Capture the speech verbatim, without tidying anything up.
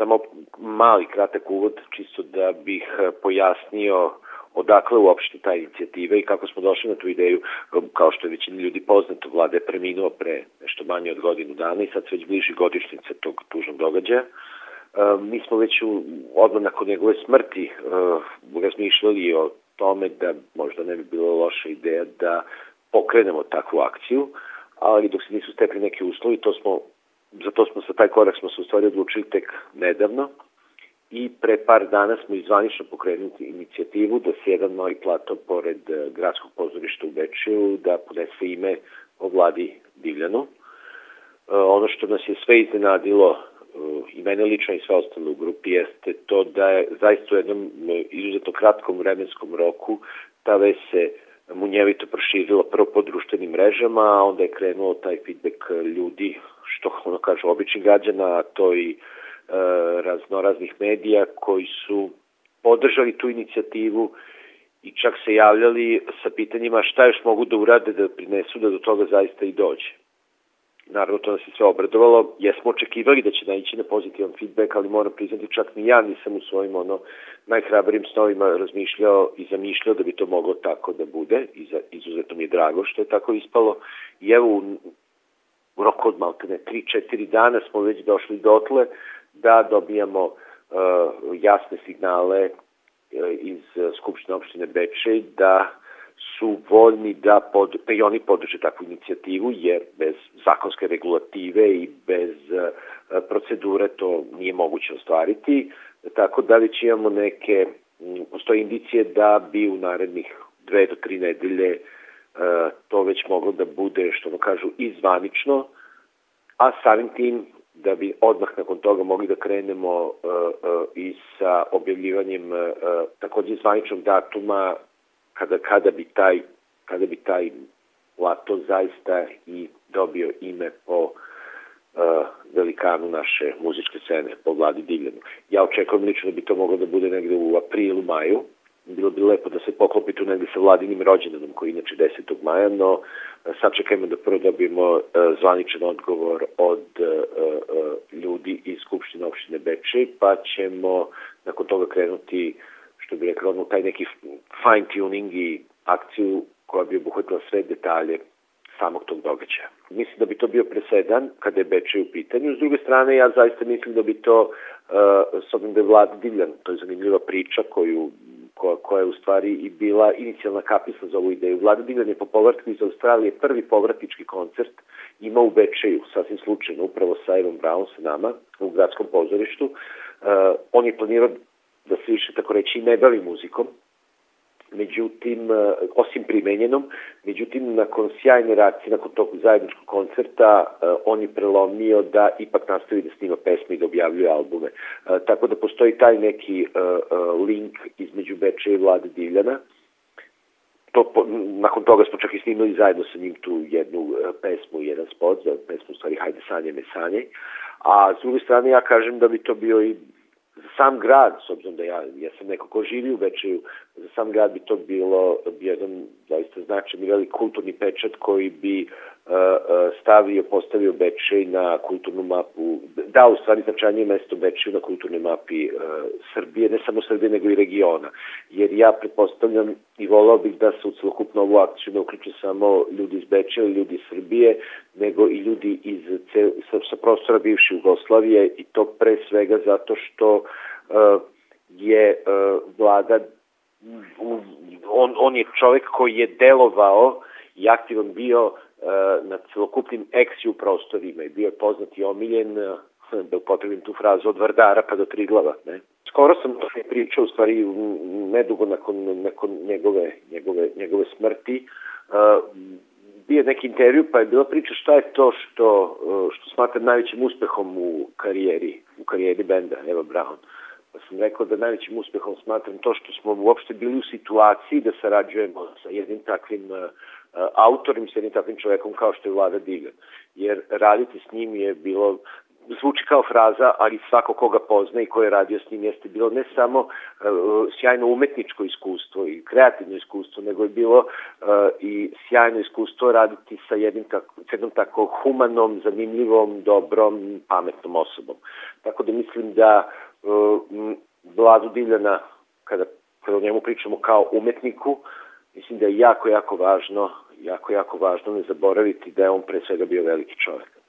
samo mali kratak uvod, čisto da bih pojasnio odakle uopšte ta inicijativa i kako smo došli na tu ideju. Kao što je većini ljudi poznato, Vlada je preminuo pre nešto manje od godinu dana i sad se već bliži godišnjica tog tužnog događaja. Mi smo već u, odmah nakon njegove smrti uh, razmišljali o tome da možda ne bi bilo loša ideja da pokrenemo takvu akciju, ali dok se nisu stekli neki uslovi, to smo, za to smo sa taj korak smo se u stvari odlučili tek nedavno i pre par dana smo izvanično pokrenuli inicijativu da se jedan novi plato pored gradskog pozorišta u Bečeju da podese ime o Vladi Divljanu. Uh, ono što nas je sve iznenadilo i mene lično i sve ostalo u grupi jeste to da je zaista u jednom izuzetno kratkom vremenskom roku ta vest se munjevito proširila prvo po društvenim mrežama, a onda je krenuo taj feedback ljudi, što ono kaže običnih građana, a to i e, raznoraznih medija koji su podržali tu inicijativu i čak se javljali sa pitanjima šta još mogu da urade da prinesu da do toga zaista i dođe. Naravno, to nas je sve obradovalo. Jesmo očekivali da će naići na pozitivan feedback, ali moram priznati, čak ni ja nisam u svojim ono, najhrabrijim snovima razmišljao i zamišljao da bi to moglo tako da bude. I za, izuzetno mi je drago što je tako ispalo. I evo, u, u roku od maltene tri četiri dana smo već došli dotle da dobijamo uh, jasne signale uh, iz uh, Skupštine opštine Bečej da su voljni da, pod, da i oni podrže takvu inicijativu, jer bez zakonske regulative i bez uh, procedure to nije moguće ostvariti. Tako da već imamo neke, postoje indicije da bi u narednih dve do tri nedelje uh, to već moglo da bude, što vam kažu, izvanično, a samim tim da bi odmah nakon toga mogli da krenemo uh, uh, i sa objavljivanjem uh, takođe zvaničnog datuma kada, kada bi taj kada bi taj plato zaista i dobio ime po uh, velikanu naše muzičke scene, po Vladi Divljanu. Ja očekujem lično da bi to moglo da bude negde u aprilu, maju. Bilo bi lepo da se poklopi tu negde sa Vladinim rođendanom, koji je inače desetog maja, no sad čekajmo da prvo dobijemo uh, zvaničan odgovor od uh, uh, ljudi iz Skupštine opštine Bečej, pa ćemo nakon toga krenuti, što bi rekao, ono, taj neki fine tuning i akciju koja bi obuhvatila sve detalje samog tog događaja. Mislim da bi to bio presedan kada je Bečej u pitanju. S druge strane, ja zaista mislim da bi to, uh, s obzirom da je Vlada Divljan, to je zanimljiva priča koju, koja, koja je u stvari i bila inicijalna kapisla za ovu ideju. Vlada Divljan je po povratku iz Australije prvi povratnički koncert imao u Bečeju, sasvim slučajno, upravo sa Ivan Brown, sa nama, u gradskom pozorištu. Uh, on je planirao da se više, tako reći, ne bavi muzikom, međutim, osim primenjenom, međutim, nakon sjajne reakcije, nakon tog zajedničkog koncerta, on je prelomio da ipak nastavi da snima pesme i da objavljuje albume. Tako da postoji taj neki link između Bečeja i Vlade Divljana. To, nakon toga smo čak i snimali zajedno sa njim tu jednu pesmu i jedan spot, za pesmu u stvari Hajde sanje me sanjaj. A s druge strane ja kažem da bi to bio i za sam grad, s obzirom da ja, ja sam neko ko živi u Bečeju, za sam grad bi to bilo jedan zaista značajan i velik kulturni pečat koji bi uh, uh, stavio, postavio Bečej na kulturnu mapu, dao u stvari značajnije mesto Bečeju na kulturnoj mapi uh, Srbije, ne samo Srbije nego i regiona. Jer ja pretpostavljam i volao bih da se u celokupnu ovu akciju ne uključe samo ljudi iz Bečeja ili ljudi iz Srbije, nego i ljudi iz cel, sa, sa prostora bivše Jugoslavije, i to pre svega zato što uh, je uh, Vlada, uh, on, on je čovek koji je delovao i aktivan bio uh, na celokupnim eksiju prostorima i bio je poznat i omiljen, uh, da upotrebim tu frazu, od Vardara pa do Triglava. Ne? Skoro sam to pričao, u stvari nedugo nakon, nakon njegove, njegove, njegove smrti, uh, bio neki intervju, pa je bila priča šta je to što, što smatram najvećim uspehom u karijeri, u karijeri benda Eva Brown. Pa sam rekao da najvećim uspehom smatram to što smo uopšte bili u situaciji da sarađujemo sa jednim takvim uh, autorom, sa jednim takvim čovekom kao što je Vlada Divljan. Jer raditi s njim je bilo zvuči kao fraza, ali svako koga pozna i ko je radio s njim jeste bilo ne samo uh, sjajno umetničko iskustvo i kreativno iskustvo, nego je bilo uh, i sjajno iskustvo raditi sa jednim tako, jednom tako humanom, zanimljivom, dobrom, pametnom osobom. Tako da mislim da uh, Vladu Diljana, kada, kada o njemu pričamo kao umetniku, mislim da je jako, jako važno, jako, jako važno ne zaboraviti da je on pre svega bio veliki čovjek.